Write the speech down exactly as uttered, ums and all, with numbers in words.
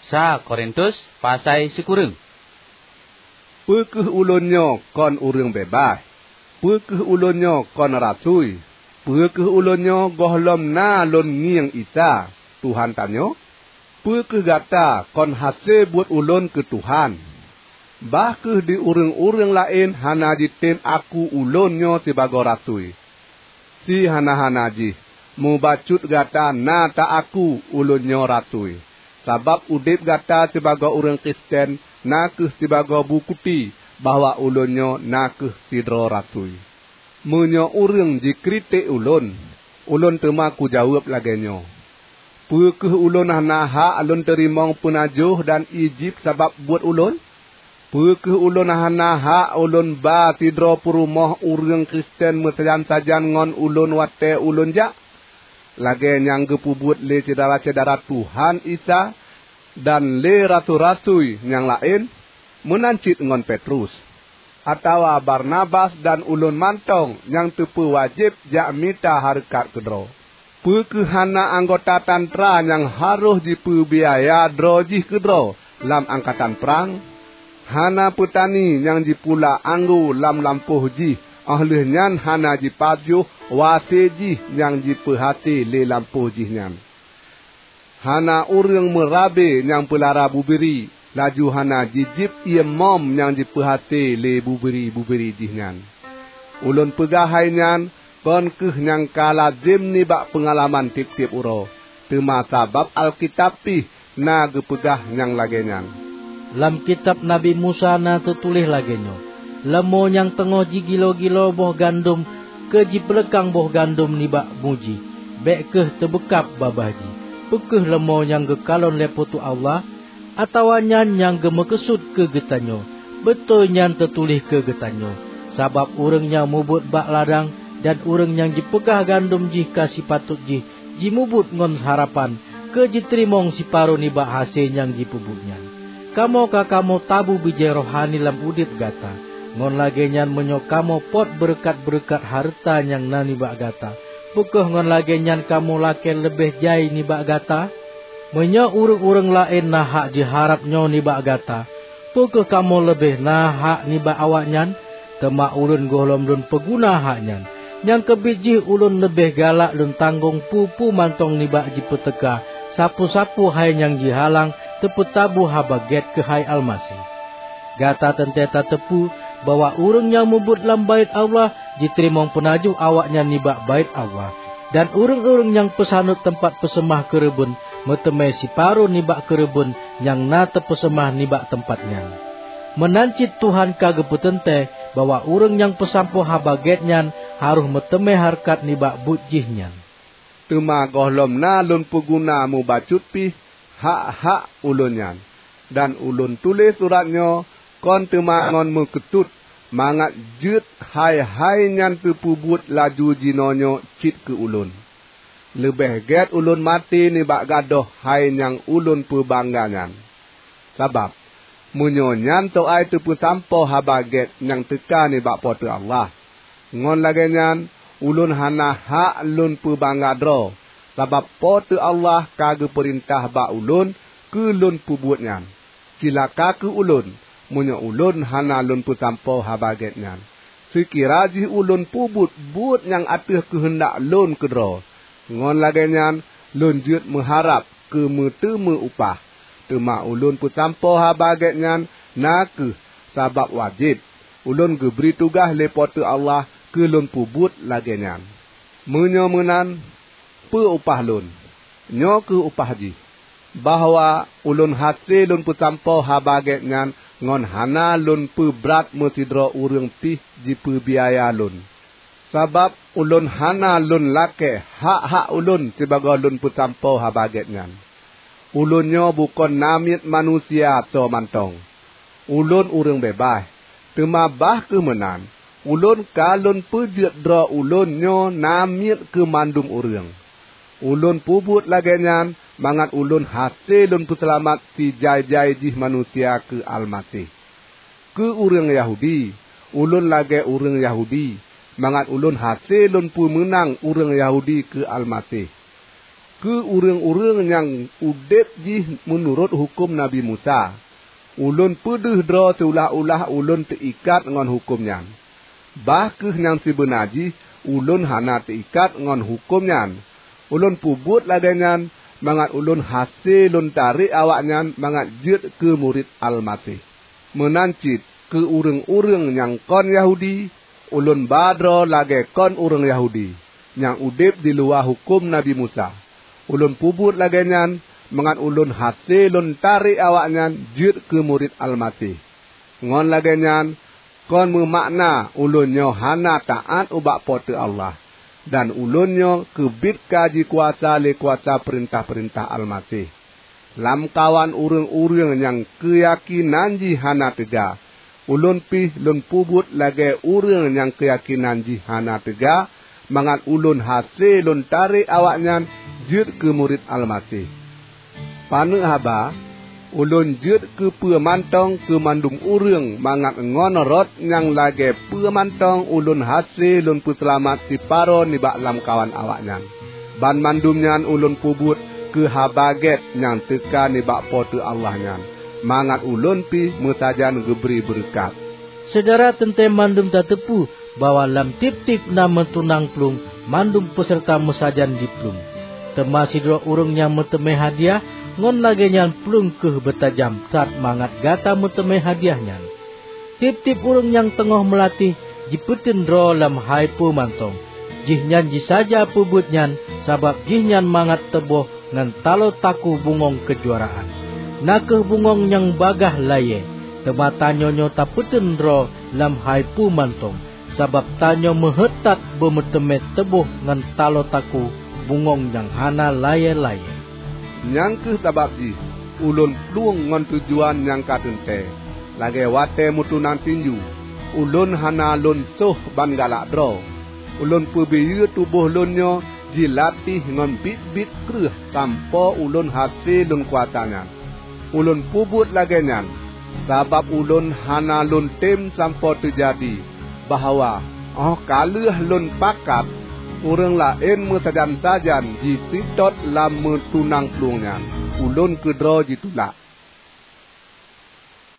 Sa Korintus pasai sikureueng. Peu kheueh ulôn nyoe kon ureuëng beubaih? Peu kheueh ulôn nyoe kon rasui? Peu kheueh ulôn nyoe gohlom na lôn ngieng Isa, Tuhan tanyoe? Peu kheueh gata kon hase buet ulôn keu Tuhan? Bah kheueh di ureuëng-ureuëng laén hana jitem aku ulôn nyoe sibagoe rasui. Si hana-hana jih, mubacut gata na ta-aku ulôn nyoe rasui, sabab udeb gata sibagoe ureuëng Kristen na kheueh sibagoe bukeuti bahwa ulôn nyoe na kheueh sidroe rasui. Meunyoe ureuëng jikritek ulôn, ulôn teuma kujaweueb lagée nyoe, "Peu kheueh ulôn hana hak lôn teurimong peunajoh dan ié jieb sabab buet ulôn? Peu kheueh ulôn hana hak ulôn ba sidroe peurumoh ureuëng Kristen meusajan-sajan ngon ulôn watée ulôn jak?" Lagée nyang geupeubuet lé syedara-syedara Tuhan Isa dan lé rasui-rasui nyang laén, meunan cit ngon Petrus, atawa Barnabas dan ulôn mantong nyang teupeu wajéb jak mita hareukat keudroe. Peu kheueh hana anggota tantra nyang harôh jipeubiaya droe jih keudroe lam angkatan prang? Hana peutani nyang jipula anggô lam lampôh jih, óh lheueh nyan hana jipajoh wase jih nyang jipeuhase lé lampôh jih nyan? Hana ureuëng meurabe nyang peulara bubiri, laju hana jijieb ié mom nyang jipeuhase lé bubiri-bubiri jih nyan. Ulôn peugah hai nyan kon kheueh nyang ka lazem nibak peungalaman tieb-tieb uroe, teuma sabab Alkitab pih na geupeugah nyang lagée nyan. Lam kitab Nabi Musa na teutuléh lagée nyoe, "Leumô nyang teungoh jigilo-gilo boh gandom keu jipeuleukang boh gandom nibak bu jih, bék kheueh teubeukab babah jih. Peu kheueh leumô nyang geukalon lé Po teu Allah? Atawa nyan nyang geumeukeusut keu geutanyoe? Beutôi nyan teutuléh keu geutanyoe, sabab ureuëng nyang mubuet bak ladang dan ureuëng nyang jipeugah gandom jih ka sipatot jih jimubuet ngon harapan keu jiteurimong siparoh nibak hase nyang jipeubuet nyan. Kamoe ka kamoe tabu bijéh rohani lam udeb gata, ngon lagée nyan meunyoe kamoe pot beureukat-beureukat hareuta nyang na nibak gata, peu kheueh ngon lagée nyan kamoe lakée leubeh jai nibak gata? Meunyoe ureuëng-ureuëng laén na hak jiharab nyoe nibak gata, peu kheueh kamoe leubeh na hak nibak awaknyan? Teuma ulôn gohlom lôn peuguna hak nyan. Nyang keubiet jih ulôn leubeh galak lôn tanggong peue-peue mantong nibak jipeuteuka sapeue-sapeue hai nyang jihalang teupeutabu Haba Gét keuhai Almaseh. Gata teuntée tateupeue bahwa ureuëng nyang mubuet lam Baét Allah jiteurimong peunajoh awaknyan nibak Baét Allah, dan ureuëng-ureuëng nyang peusanot teumpat peuseumah keureubeuen meuteumé siparoh nibak keureubeuen nyang na teupeuseumah nibak teumpat nyan. Meunan cit Tuhan ka geupeuteuntée bahwa ureuëng nyang peusampoe Haba Gét nyan harôh meuteumé hareukat nibak buet jih nyan. Teuma gohlom na lôn peuguna mubacut pih hak-hak ulôn nyan, dan ulôn tuléh surat nyoe kon teuma ngon meukeusut mangat jeuet hai-hai nyan teupeubuet laju jinoenyoe cit keu ulôn. Leubeh gét ulôn maté nibak gadôh hai nyang ulôn peubangga nyan. Sabab, meunyoe nyan soai teupeusampoe Haba Gét nyang teuka nibak Po teu Allah, ngon lagée nyan ulôn hana hak lôn peubangga droe, sabab Po teu Allah ka geupeurintah bak ulôn keu lôn peubuet nyan. Cilaka kheueh ulôn, meunyoe ulôn hana lôn peusampoe Haba Gét nyan, seukira jih ulôn peubuet buet nyang ateueh keuheundak lôn keudroe! Ngon lagée nyan lôn jeuet meuharab keu meuteumé upah, teuma ulôn peusampoe Haba Gét nyan na kheueh sabab wajéb. Ulôn geubri tugaih lé Po teu Allah keu lôn peubuet lagée nyan. Meunyoe meunan, peue upah lôn? Nyoe kheueh upah jih, bahwa ulôn hase lôn peusampoe Haba Gét nyan ngon hana lôn peubrat meusidroe ureuëng pih jipeubiaya lôn. Sabab ulôn hana lôn lakée hak-hak ulôn sibagoe lôn peusampoe Haba Gét nyan. Ulôn nyoe bukon namiet manusia soe mantong. Ulôn ureuëng beubaih, teuma bah kheueh meunan, ulôn ka lôn peujeuet droe ulôn nyoe namiet keu mandum ureuëng. Ulôn peubuet lagée nyan mangat ulôn hase lôn peuseulamat sijai-jai jih manusia keu Almaseh. Keu ureuëng Yahudi, ulôn lagée ureuëng Yahudi, mangat ulôn hase lôn peumeunang ureuëng Yahudi keu Almaseh. keu ureuëng-ureuëng nyang udeb jih meunurot huköm Nabi Musa. Ulôn peudeuh droe siulah-ulah ulôn teuikat ngon huköm nyan. Bah kheueh nyang sibeuna jih, ulôn hana teuikat ngon huköm nyan. Ulôn peubuet lagée nyan mangat ulôn hase lôn tarek awaknyan mangat jeuet keu murit Almaseh. Meunan cit keu ureuëng-ureuëng nyang kon Yahudi, ulôn ba droe lagée kon ureuëng Yahudi nyang udeb diluwa huköm Nabi Musa. Ulôn peubuet lagée nyan mangat ulôn hase lôn tarek awaknyan jeuet keu murit Almaseh. Ngon lagée nyan, kon meumakna ulôn nyoe hana taát ubak Po teu Allah, dan ulôn nyoe keubiet ka jikuasa lé kuasa peurintah-peurintah Almaseh. Lamkawan ureuëng-ureuëng nyang keuyakénan jih hana teuga, ulôn pih lôn peubuet lagée ureuëng nyang keuyakénan jih hana teuga, mangat ulôn hase lôn tarek awaknyan jeuet keu murit Almaseh. Paneuk haba, ulôn jeuet keu peue mantong keu mandum ureuëng mangat ngon rot nyang lagée peue mantong ulôn hase lôn peuseulamat siparo nibak lamkawan awaknyan. Banmandum nyan ulôn peubuet keu Haba Gét nyang teuka nibak Po teu Allah nyan, mangat ulôn pih meusajan geubri beureukat. Syedara teuntée mandum tateupeue bahwa lam tieb-tieb na meutunang plueng mandum peuseureuta meusajan jiplueng. Teuma sidroe ureuëng nyang meuteumé hadiah, ngon lagée nyan plueng kheueh beutajam that mangat gata meuteumé hadiah nyan. Tieb-tieb ureuëng nyang teungoh meulatéh jipeuteun droe lam hai peue mantong. Jihnyan jisaja peubuet nyan sabab jihnyan mangat teuboh ngon taloe takue bungöng keujuaraan. Na kheueh bungöng nyang bagaih layée, teuma tanyoe nyoe tapeuteun droe lam hai peue mantong, sabab tanyoe meuheuét that beumeuteumé teuboh ngon taloe takue bungöng nyang hana layée-layée. Nyang kheueh sabab jih ulôn plueng ngon tujuan nyang ka teuntée, lagée watée meutunang tinju. Ulôn hana lôn soh ban galak droe. Ulôn peubiyeu tuboh lôn nyoe jilatéh ngon biet-biet kreueh sampoe ulôn hase lôn kuasa nyan. Ulôn peubuet lagée nyan, sabab ulôn hana lôn tem sampoe teujadi bahwa óh ka lheueh lôn pakat, ureuëng laén meusajan-sajan jiseutôt lam meutunang plueng nyan, ulôn keudroe jitulak.